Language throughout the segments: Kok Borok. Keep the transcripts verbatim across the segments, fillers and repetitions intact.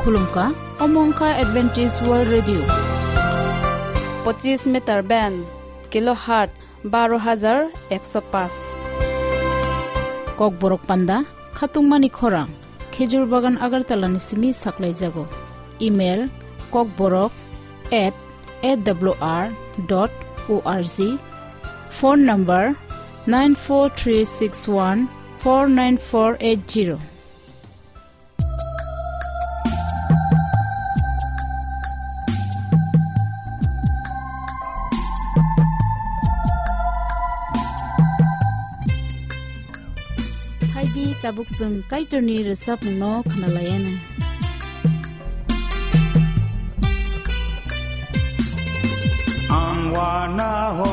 Khulumkha, omo wngkha Adventist World Radio. Pochis meter band, kilohertz baro hajar ekso paanch. Kokborok panda, khatungmani khorang, Khejur Bagan Agartala ni simi saklaijago. Email, kokborok at A W R dot O R G. Phone number, nine four three six one four nine four eight zero. Phaidi tabuk chwng Kaitorni rwchapmungno khwnalaianw. Ang wana ho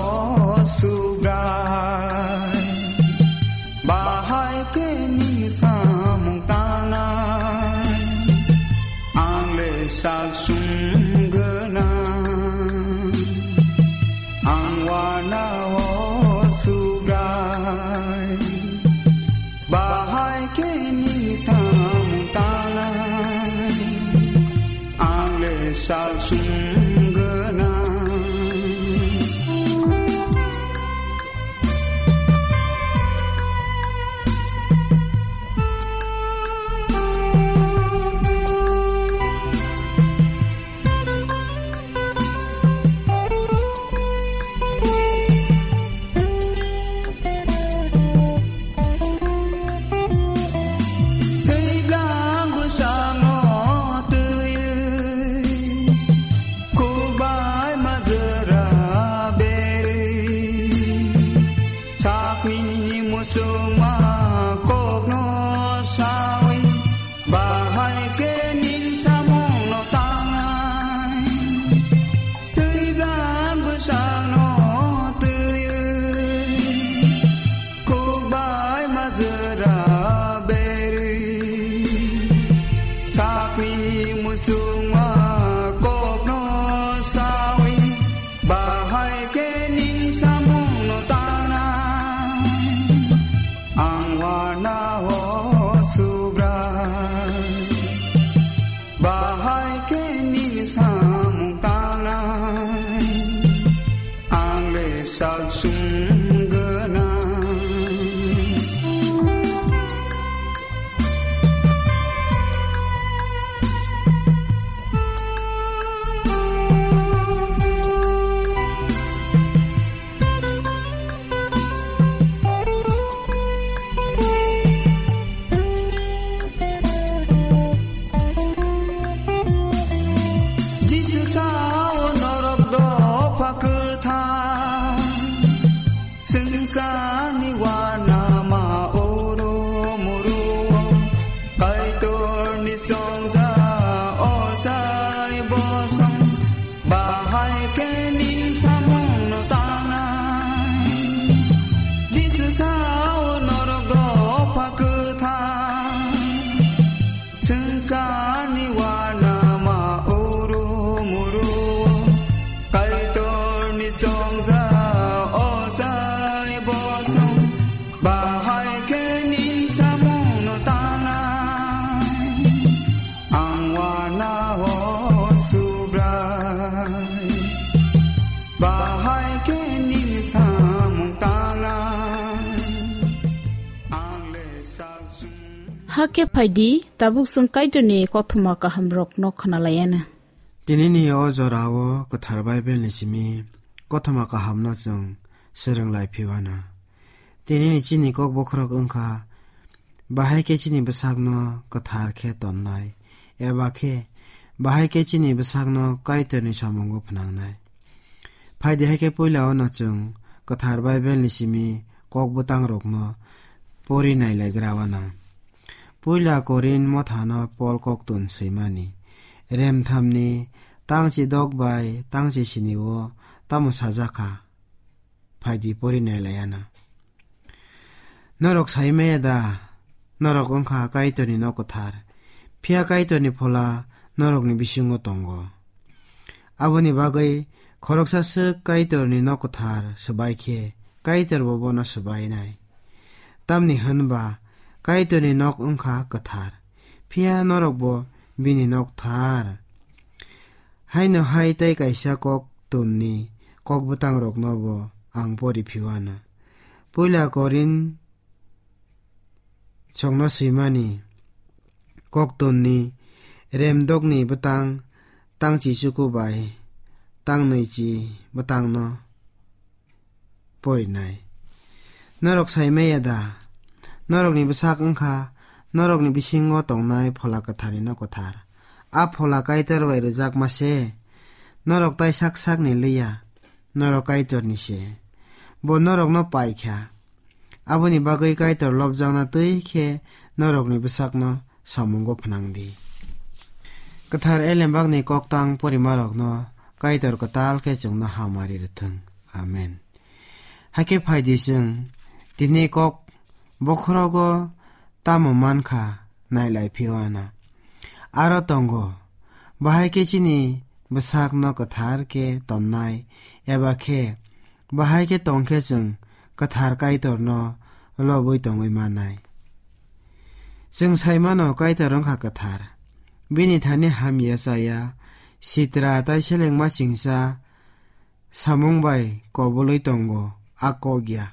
Subrai, bahai khe nini samung tangnai, ang le sal sum gwnang. Ang wana ho Subrai, bahai khe nini samung tangnai, ang le sal sum gwnang. Tei bwskango twiwi, khukbai majra berwi, sakni muchungma kokno sawi, bahai khe nini samungno tangnai. Twi bwskango twiwi, khukbai majra berwi, sakni muchungma kokno sawi, bahai khe nini samungno tangnai. Ang wana ho Subrai, bahai khe nini samung tangnai, ang le sal sum gwnang. Jisu sao norok dopha kwthar, swngcharni uanama oro moro, Kaitorni chongjak ochai bosong, bahai khe nini samungno tangnai. Jisu sao norok dopha kwthar, swngcharni uanama oro moro, Kaitorni chongjak ochai bosong, bahai khe nini samungno tangnai. Ang wana ho Subrai, bahai khe nini samung tangnai. Ang le sal sum. Hakhe phaidi, tabuk chwng Kaitorni kothoma kahamrokno khwnalaianw. Tinini o jorao kwthar Bible ni simi kothoma kahamno chwng swrwng lai phiwana. Tinini chini kok bokhorok wngkha, bahai khe chini bwsakno kwthar khe tonnai, eba khe bahai khe chini bwsakno Kaitorni samungo phnangnai. Phaidi hai khe puila o no chwng kwthar Bible ni simi kok bwtang rokno pori nai lai gra wana. Puila Korin mothano Pol koktun swimani, remthamni tangchi dok bai tangchi sini o tamo sajak kha? Phaidi pori nai lai ana. Norok sai maya da, norok wngkha Kaitorni nok kwthar, phiya Kaitorni phola norokni bisingo tongo. Aboni bagwi khoroksa swk Kaitorni nok kwthar swbai khe, Kaitorbo bono swbainai. Tamni hwn ba Kaitorni nok wngkha kwthar, phiya norokbo bini nok thar. Haino hai tei kaisa kok tonni kok bwtangrokno bo ang pori phiwana. Puila Korin songno swimani kok tonni remdokni bwtang tang chichuku bai tang nwichi bwtangno porinai. Norok sai maya da? Norokni bwsak wngkha norokni bisingo tongnai Phola Kwtharni nok kwthar. A Phola Kaitor bai rwjakma se. Norok tai sak sakni liya, norok Kaitorni se. Bo norokno pai kha. Aboni bagwi Kaitor lobjakna twi khe norokni bwsakno samungo phnang di. Kwthar Elembakni koktang porimarokno Kaitor kwtal khe chwngno hamari rwthwng. Amen. Hakhe phai di, chwng tini kok bokhorogo tamo man kha, nailai phiwana. Aro tongo, bahai khe chini bwsakno kwthar khe tonnai, eba khe bahai khe tong khe chwng kwthar Kaitorno lobwi tongwi manai. Chwng sai mano Kaitor wngkha kwthar. Bini thani hamya chaya, sitra tai selengma chingsa, samung bai kobulwi tongo, a kok ya.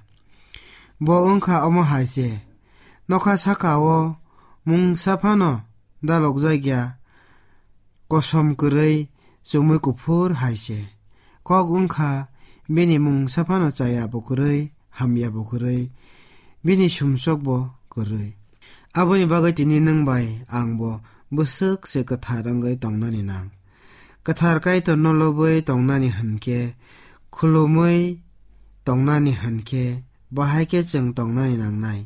Bo wngkha omo hai se, nokha saka-o mungsa phano dalokjak ya, kosom kwrwi, chumui kuphur hai se. Kok wngkha bini mungsa phano chaya bo kwrwi, hamya bo kwrwi, bini sumsok bo kwrwi. Aboni bagwi tini nwng bai ang bo bwswk se kwthar wngwi tongnani nang. Kwthar Kaitorno lobwi tongnani hinkhe, khulumwi tongnani hinkhe, bahai khe chwng tongnani nangnai.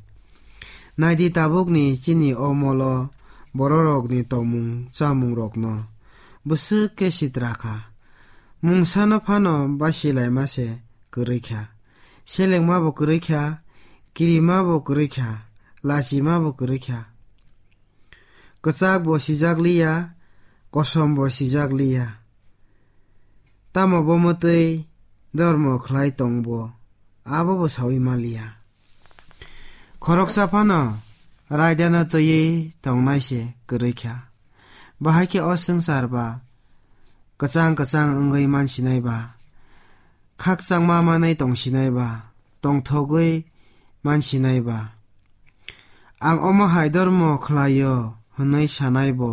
Naidi, tabukni chini o molo bororokni tongmung chamungrokno bwswk khe sitra kha. Mungsano phano basilaima se kwrwi kha. Selengma bo kwrwi kha, kirima bo kwrwi kha, lachima bo kwrwi kha. Kwchak bo sijak liya, kosom bo sijak liya. Tamo bo mwtwi dormo khlai tong bo, abo bo saui ma liya. Khoroksa phano raidano twiwi tongnai se kwrwi kha. Bahai khe o swngchar ba kwchang kwchang wngwi mansinai ba, khakchangma manwi tongsinai ba, tongthogwi mansinai ba. Ang omo hai dormo khlaio hwnwi sanai bo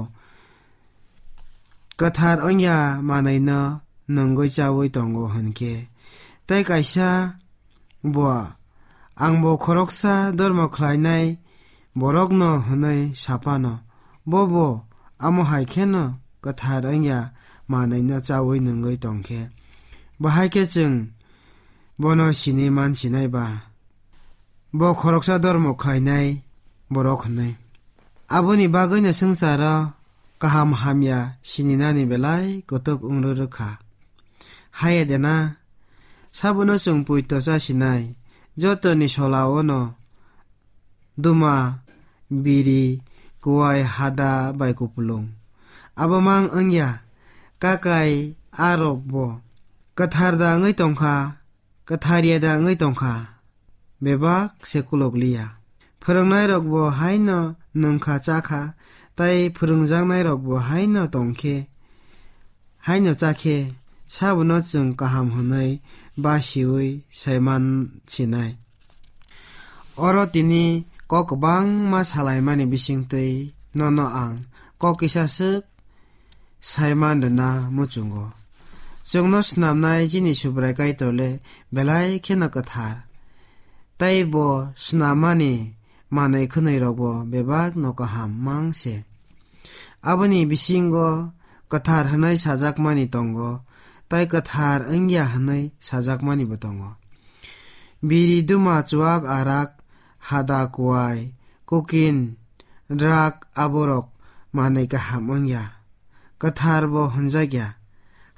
kwthar wngya manwino nungwi chaui tongo hwnkhe, tei kaisa bo ang bo khoroksa dormo khlainai borokno hwnwi saphano, bobo amo hai kheno kwthar wngya manwino chaui nungwi tongkhe, bahai khe chwng bono sini mansinai ba? Bo khoroksa dormo khlainai borok hwnwi. Aboni bagwino swngcharo kaham hamya sininani belai kotok wng rwrwkha. Haiya de na, sabono chwng poito chasinai, jotoni solao no duma, biri, kuwai, hada bai kupulung. Abo mang wngya, kakai a rok bo kwthar da wngwi tongkha, kwthar ya da wngwi tongkha, bebak se kulok liya. Phwrwngnairok bo haino nwngkha chakha, tai phwrwngjaknairok bo haino tongkhe, haino chakhe, sabono chwng kaham hwnwi basiui saiman sinai. Oro tini kok kwbangma salaimani bisingtwi nono ang kok kisa swk saiman rwna muchungo. Chwngno snamnai chini Subrai Kaitor le belai kheno kwthar, tei bo snamani manwi khwnwi rokbo bebak no kaham mang se. Aboni bisingo kwthar hwnwi sajakmani tongo, tei kwthar wngya hwnwi sajakmani bo tongo. Biri, duma, chuak, arak, hada, kuwai, kukin, drak, aborok manwi kaham wngya, kwthar bo hwnjakya.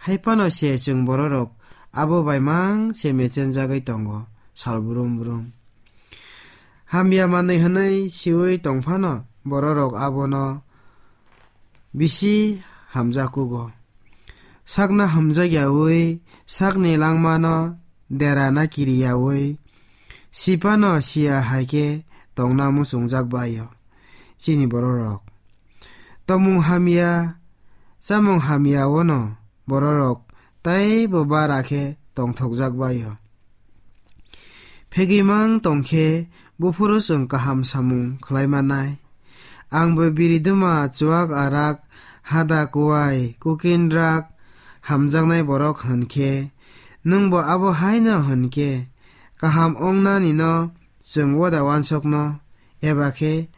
Hai phano se chwng bororok abo bai mang se mechenjagwi tongo sal brum brum. Hamya manwi hwnwi siui tong phano bororok abono bisi hamjakkugo. Sakno hamjakyaui, sakni langmano derana kiriyaui, siphano siya hai khe tongna muchungjak bai-o chini bororok. Tongmung hamya, chamung hamya-o'-no bororok teibo bara khe tongthokjak bai-o. Phegwi mang tong khe buphuru chwng kaham samung khlai mannai. Ang bo biri duma, chuak arak, hada kuwai, kukin rak, hamjaknai borok hwn khe, nwng bo abo hai'-no hwn khe, kaham wngnani'-no chwng uda uansukno, eba khe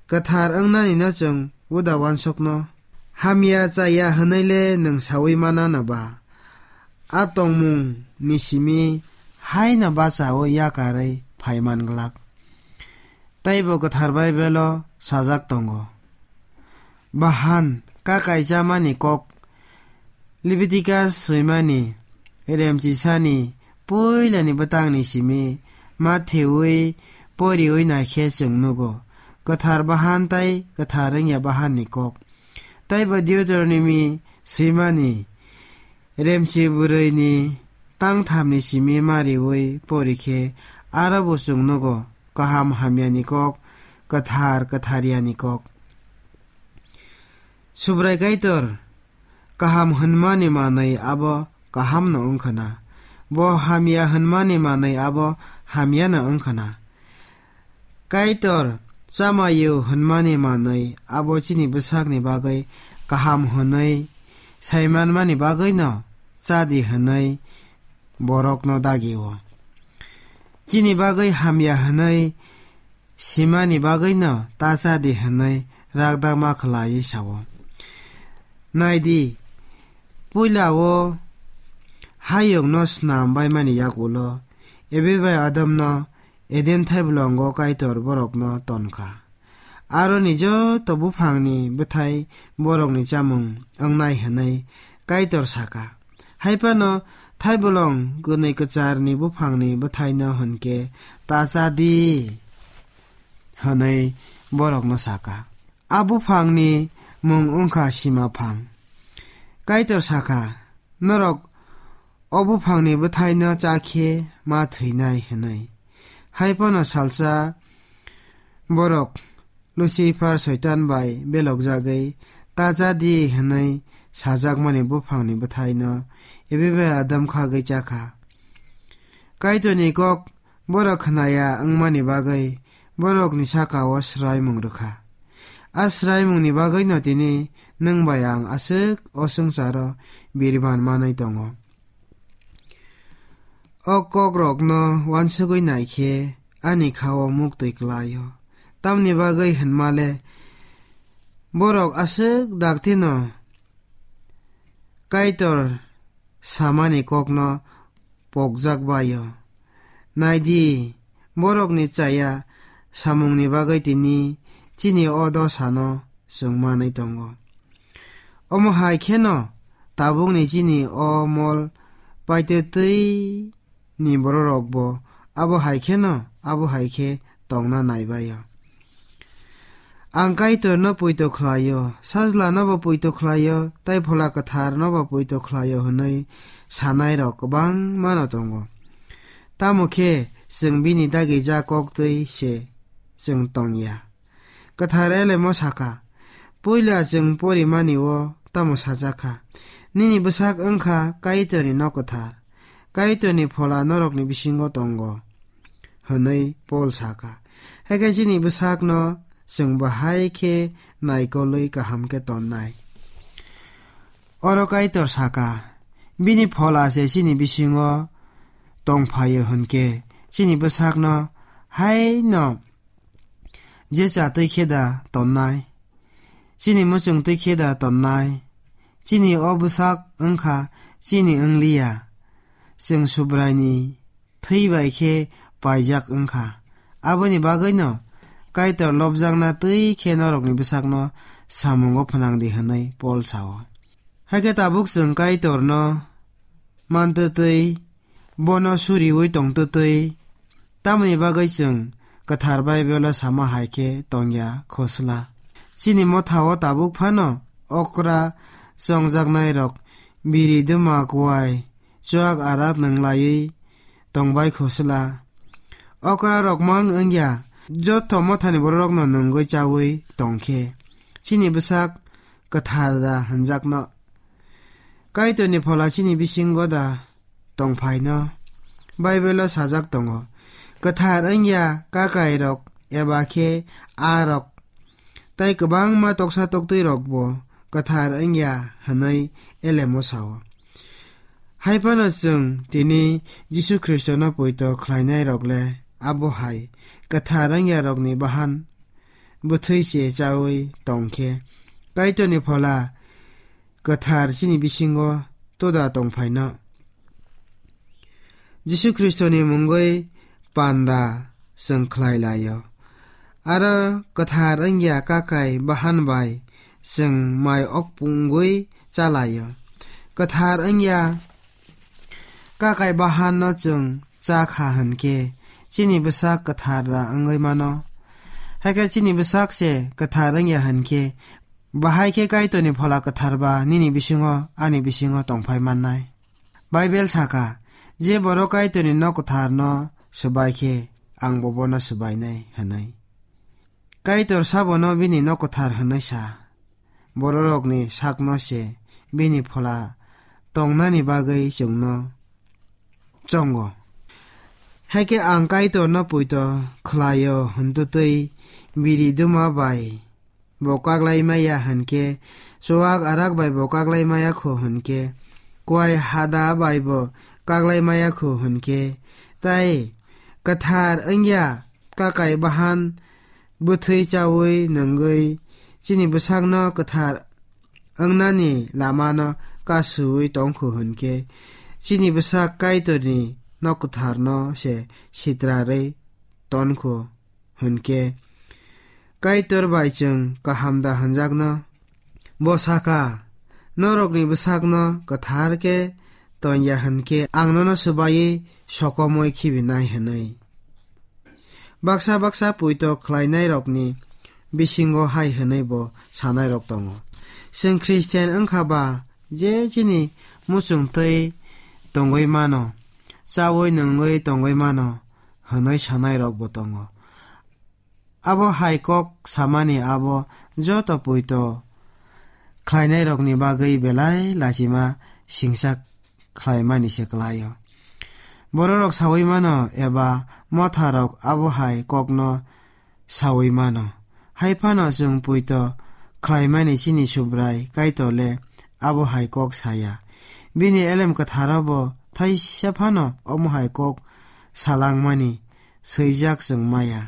kwthar wngnani'-no chwng uda uansukno. Hamya chaya hwnwi le nwng saui manano ba? A tongmung ni simi haino bachaui yakarwi phai man glak. Teibo Kwthar Baibelo sajak tongo, bahan ka kaichamani kok, Leviticus swimani remchisani puilani bwtangni simi ma theui poriui naikhe chwng nugo, kwthar bahan tei kwthar wngya bahanni kok. Teibo Deuteronomy swimani remchi bwrwini tangthamni simi mariui porikhe aro bo chwng nugo, kaham hamyani kok, kwthar kwtharyani kok. Subrai Kaitor kaham hwnmani manwi abo kahamno wngkhwna, bo hamya hwnmani manwi abo hamyano wngkhwna. Kaitor chamaio hwnmani manwi abo chini bwsakni bagwi kaham hwnwi saimanmani bagwino chadi hwnwi borokno dagio. Chini bagwi hamya hwnwi simani bagwino ta chadi hwnwi rakdakma khlaiwi sao. Naidi, puila-o hayungno snam baimani yakulo Evi bai Adamno Eden thaibolongo Kaitor borokno tonkha. Aroni joto buphangni bwthai borokni chamung wngnai hwnwi Kaitor saka. Hai phano thaibolong gwnwi kwcharni buphangni bwthaino hwn khe ta cha di, hwnwi borokno saka. A buphangni mung wngkha sima phang. Kaitor saka, norok o buphangni bwthaino cha khe ma thwinai hwnwi. Hai phano salsa borok Lucifer Soitan bai belokjagwi ta cha di hwnwi sajakmani buphangni bwthaino Evi bai Adam khagwi chakha. Kaitorni kok borok khnaya wngmani bagwi borokni saka-o swraimung rwkha. A swraimungni bagwino tini nwng bai ang aswk o swngcharo biriban manwi tongo. O kokrokno uansugwi naikhe ani kha-o muktwi klai-o. Tamni bagwi hwnmale borok aswk daktino Kaitor samani kokno pokjak bai-o. Naidi, borokni chaya samungni bagwi tini chini o dosano chwng manwi tongo. Omo hai kheno tabukni chini o mol paitwtwi ni bororokbo abo hai kheno, abo hai khe tongna naibai-o. Ang Kaitorno poito khlai-o, Sajlanobo poito khlai-o, tei Phola Kwtharnobo poito khlai-o hwnwi sanairok kwbangmano tongo. Tamo khe chwng bini dagijak kok twi se chwng tong ya. Kwthar Elemo saka, puila chwng porimani-o tamo sajak kha, "Nini bwsak wng kha Kaitorni nok kwthar, Kaitorni Phola norokni bisingo tongo," hwnwi Pol saka. Hakhe chini bwsakno chwng bahai khe naikolwi kaham khe tonnai. Oro Kaitor saka, bini Phola se chini bisingo tongphaio hwnkhe, chini bwsakno haino je cha twi khe da tonnai, chini muchung twi khe da tonnai, chini o bwsak wng kha chini wng liya, chwng Subraini thwi bai khe paijak wng kha. Aboni bagwino Kaitor lobjakna twi khe norokni bwsakno samungo phnang di hwnwi Pol sao. Hakhe tabuk chwng Kaitorno mantwtwi, bono suriui tongtwtwi, tamoni bagwi chwng Kwthar Baibelo sama hai khe tongya khosla. Chini mothao tabuk phano okra chongjaknairok biri duma kuai chuak arat nwnglaiwi tongbai khosla. Okra rok mang wngya, joto mothani bororokno nungwi chaui tongkhe, chini bwsak kwthar da hwnjakno. Kaitorni phola chini bisingo da tongphaino? Baibelo sajak tongo, "Kwthar wngya kakairok eba khe a rok tei kwbangma toksa toktwirokbo kwthar wngya," hwnwi elemo sao. Hai phano chwng tini Jisu Khristono poito khlainairok le abo hai kwthar wngyarokni bahan bwthwi se chaui tong khe, Kaitorni phola kwthar chini bisingo toda tongphaino? Jisu Khristoni mungwi panda chwng khlai laio. Aro kwthar wngya kakai bahan bai chwng mai ok pungwi cha laio. Kwthar wngya kakai bahanno chwng cha kha hwn khe, chini bwsak kwthar da wngwi mano. Hakhe chini bwsak se kwthar wngya hwn khe, bahai khe Kaitorni phola kwthar ba nini bisingo, ani bisingo tongphai mannai. Baibel saka, "Je borok Kaitorni nok kwtharno swbai khe, ang bo bono swbainai," hwnwi. Kaitor sabono bini nok kwthar hwnwi sa. Bororokni sakno se bini phola tongnani bagwi chwngno chongo. Hakhe ang Kaitorno poito khlaio hwntwtwi biri duma bai bo kaklai maya hwnkhe, chuwak arak bai bo kaklai maya khu hwnkhe, kuai hada bai bo kaklai maya khu hwnkhe, tai kwthar wngya kakai bahan bwthwi chaui nungwi chini bwsakno kwthar wngnani lamano kasuwi tongkhu hwnkhe, chini bwsak Kaitorni nok kwtharno se sitrarwi tonkhu hwnkhe, Kaitor bai chwng kaham da hwnjakno? Bo saka, "Norokni bwsakno kwthar khe tongya hwnkhe, ang nono swbaiwi sokomwi khibinai," hwnwi. Baksa baksa poito khlainairokni bisingo hai hwnwi bo sanairok tongo, "Chwng Khristian wngkha ba je chini muchungtwi tongwi mano, chaui nungwi tongwi mano," hwnwi sanairokbo tongo. Abo hai kok samani abo joto poito khlainairokni bagwi belai lachima singsa khlaimani se kwlaio. Bororok saui mano eba motharok abo hai kokno saui mano. Hai phano chwng poito khlaimani chini Subrai Kaitor le abo hai kok saya. Bini elem kwtharo bo thaisa phano omo hai kok salangmani swijak chwng maya.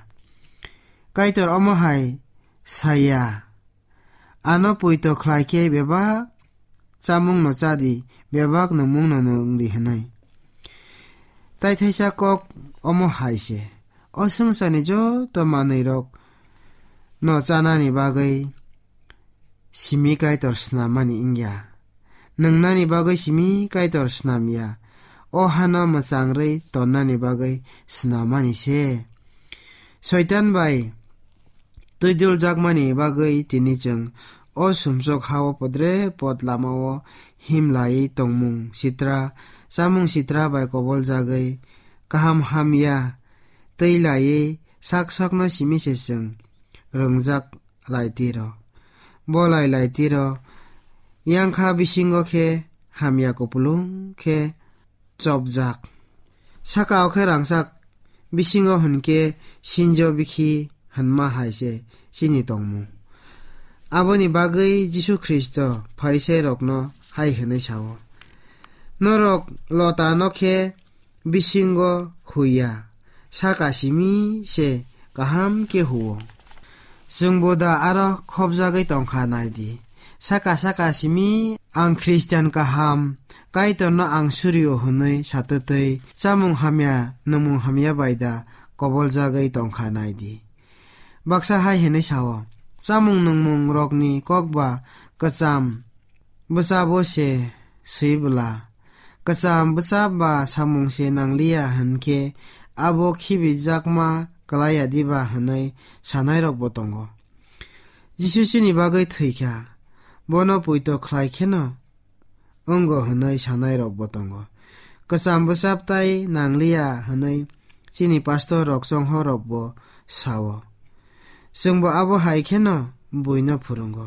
Kaitor omo hai saya, "Ano poito khlai khe bebak chamungno cha di, bebak nungmungno nung di," hwnwi. Tai thaisa kok omo hai se, o swngcharni joto manwirok no chanani bagwi simi Kaitor snamani wngya. Nungnani bagwi simi Kaitor snamya. O hano mwchangrwi tonnani bagwi snamani se. Soitan bai twiduljak mani bagwi tini chwng o sumsok hao podre pod lamao himlaiwi tongmung sitra, chamung sitra bai koboljagwi kaham hamya twi laiwi sak sakno simi se chwng rwngjak lai tiro. Bo lai lai tiro, yang kha bisingo khe hamya kupulung khe chopjak. Saka o khe rangchak bisingo hwn khe sinjo bikhi hwnma hai se chini tongmung. Aboni bagwi Jisu Khristo Pharisairokno hai hwnwi sao, "Norok lotano khe bisingo huiya, saka simi se kaham khe huo. Chwngbo da aro khopjagwi tongkha nai di. Saka saka simi ang Khristian kaham, Kaitorno ang surio hwnwi satwtwi chamung hamya, nungmung hamya bai da koboljagwi tongkha nai di." Baksa hai hwnwi sao, "Chamung nungmung rokni kok ba kwcham bwchabo se swi bwla. Kwcham bwchap ba samung se nangliya hwn khe abo khibijakma klaiya diba?" hwnwi sanairokbo tongo. Jisu chini bagwi thwi kha, bono poito khlai kheno wngo hwnwi sanairokbo tongo. Kwcham bwchap tai nangliya hwnwi chini pastor rok chonghorrokbo sao. Chwngbo abo hai kheno buino phwrwngo.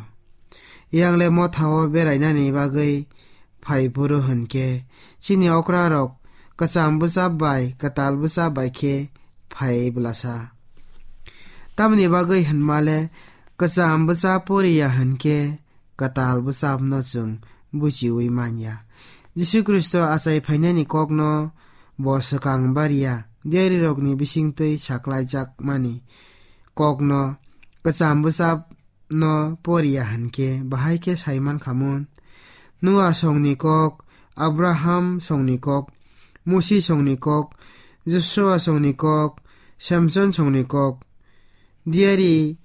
Yang le mothao berainani bagwi phai phuru hwn khe, chini okrarok kwcham bwchap bai kwtal bwchap bai khe phai bwlasa. Tamoni bagwi hwnma le, kwcham bwchap poriya hwn khe kwtal bwchapno chwng buchiui man ya. Jisu Khristo achai phainani kokno bo swkang bar ya, diarirokni bisingtwi saklaijakmani kokno kwcham bwchap no poriya hwn khe bahai khe sai man kha mun. Noa songni kok, Abraham songni kok, Musi songni kok, Joshua songni kok, Samson songni kok, diari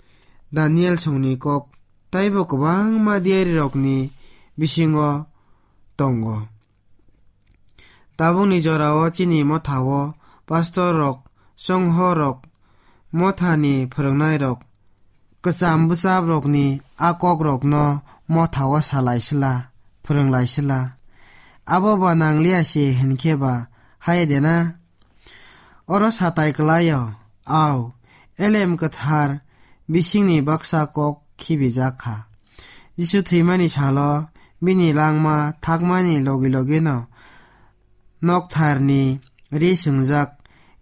Daniel songni kok, taibo kwbangma diarirokni bisingo tongo. Tabukni jorao chini mothao pastor rok, chonghor rok, mothani phwrwngnairok, kwcham bwchaprokni a kokrokno mothao salai sla, phwrwnglai sla. Abo ba nangliya se hwn khe ba hai de na? Oro satai kwlaio, au, elem kwthar bisingni baksa kok khibijak kha. Jisu thwimani salo bini langma thakmani logi logino noktharni ri swngjak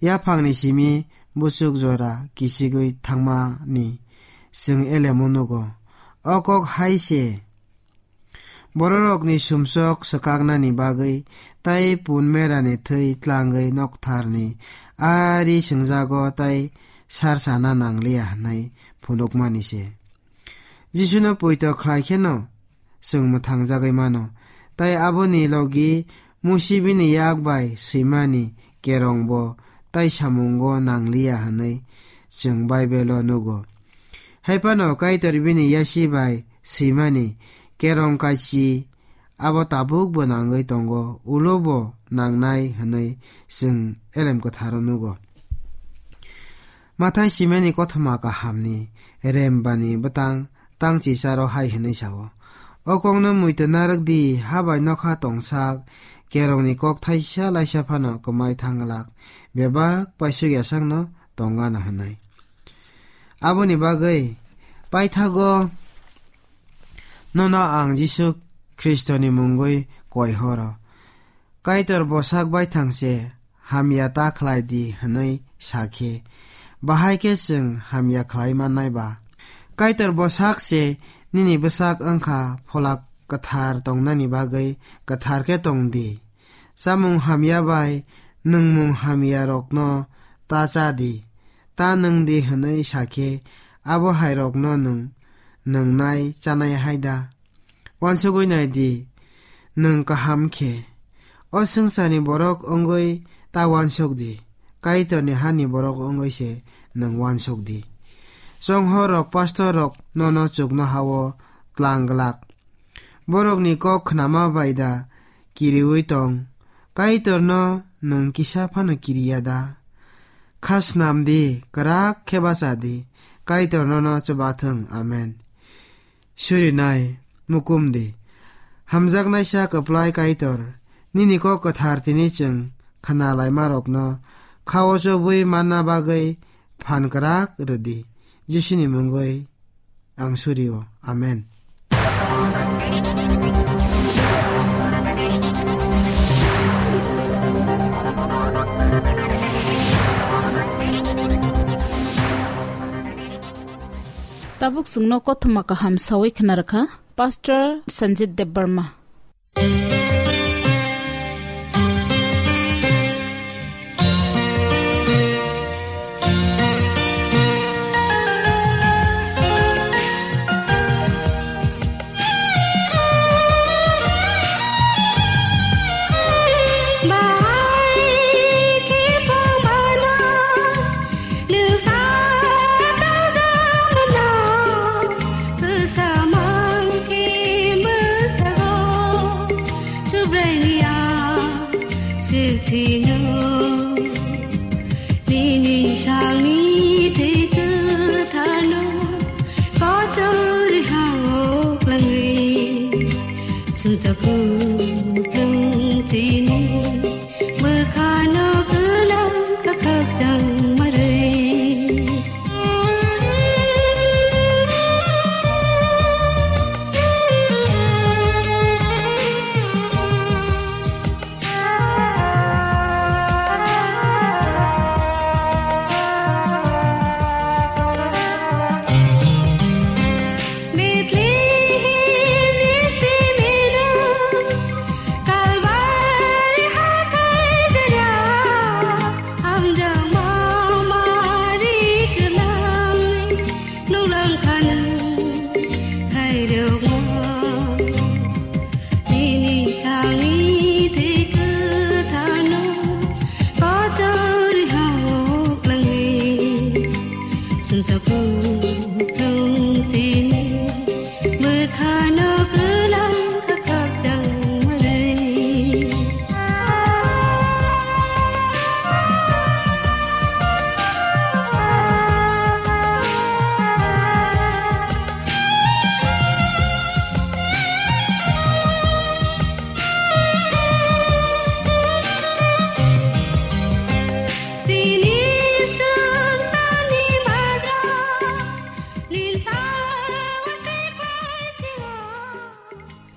yaphangni simi buchuk jora kichigwi thangmani chwng elemo nugo. O kok hai se. Bororokni sumsok swkaknani bagwi tei pun merani thwi tlangwi noktharni a ri swngjago tei sar sana nangliya hwnwi phunukmani se. Jisuno poito khlai kheno chwng mwthangjagwi mano, tei aboni logi Musi bini yak bai swimani kerongbo tei samungo nangliya hwnwi chwng Baibelo nugo. Hai phano Kaitor bini yasi bai swimani kerong kaisi abo tabukbo nangwi tongo, ulobo nangnai hwnwi chwng elem kwtharo nugo. Mathai simani kothoma kahamni rembani bwtang tang chicharo hai hwnwi sao, "O kokno muitu narwk di, ha bai nokha tongsak, kerongni kok thaisa laisa phano kwmai thang glak, bebak paisuk yasakno tong gana," hwnwi. Aboni bagwi paithago nono ang Jisu Khristoni mungwi koi horo. Kaitor bwsak baithang se hamya ta khlai di hwnwi sa khe, bahai khe chwng hamya khlai mannai ba? Kaitor bwsak se nini bwsak wng kha, phola kwthar tongnani bagwi kwthar khe tong di. Chamung hamya bai nwngmung hamyarokno ta cha di, ta nwng di hwnwi sa khe, abo hairokno nwng nwngnai chanai hai da? Uansugwi nai di, nwng kaham khe o swngcharni borok wngwi ta uansuk di, Kaitorni hani borok wngwi se nwng uansuk di. Chonghorrok, pastorrok nono chuknoha-o tlang glak. Borokni kok khnama bai da kiriui tong? Kaitorno nwng kisa phano kiriya da? Kha snam di, kwrak khe bacha di, Kaitor nono chubathwng. Amen. Surinai, mukum di. Hamjaknaisa kwplai Kaitor, nini kok kwthar tini chwng khna laimarokno kha-o chobwi manna bagwi phan kwrak rw di. Jisuni mungwi ang surio. Amen. Tabuk chwngno kothoma kaham sawi khna rwkha Pastor Sanjit Debbarma. Subraiyang, sithino, nini sangni thwi kwtharno, kochori hao klangwi, sumsok kwplwng chini, bwkhano kwlang kwkhakchang marwi.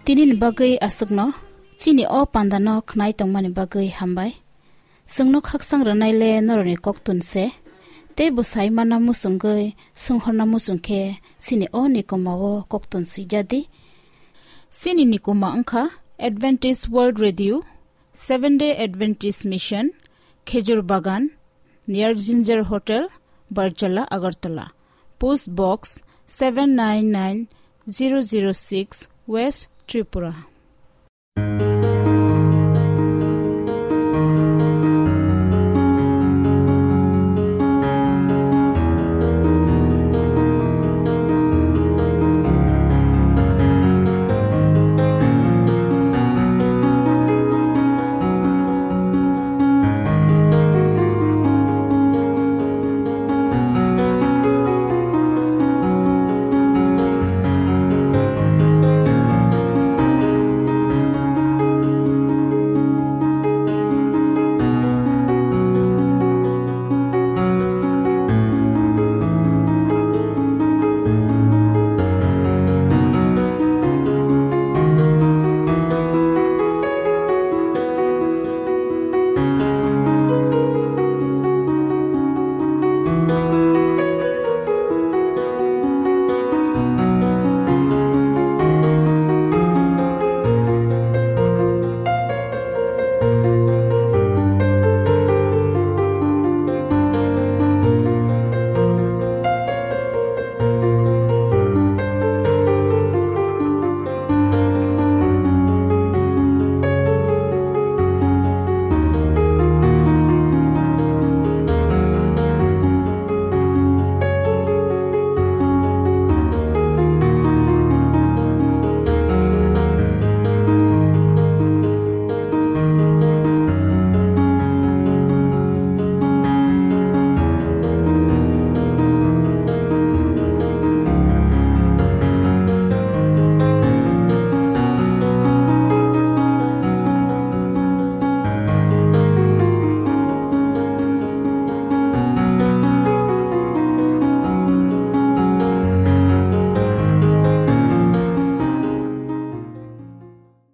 Tinini bagwi aswkno, chini o pandano khnai tongmani bagwi hambai. Chwngno khaksang rwnaile norokni koktun se, tei bwsai mana muchungwi swnghorna muchung khe chini o nikoma o koktun swijadi. Chini nikoma wngkha Adventist World Radio, Seventh Day Adventist Mission, Khejur Bagan, near Ginger Hotel, Barjala, Agartala. Post Box seven nine nine zero zero six, West Tripura.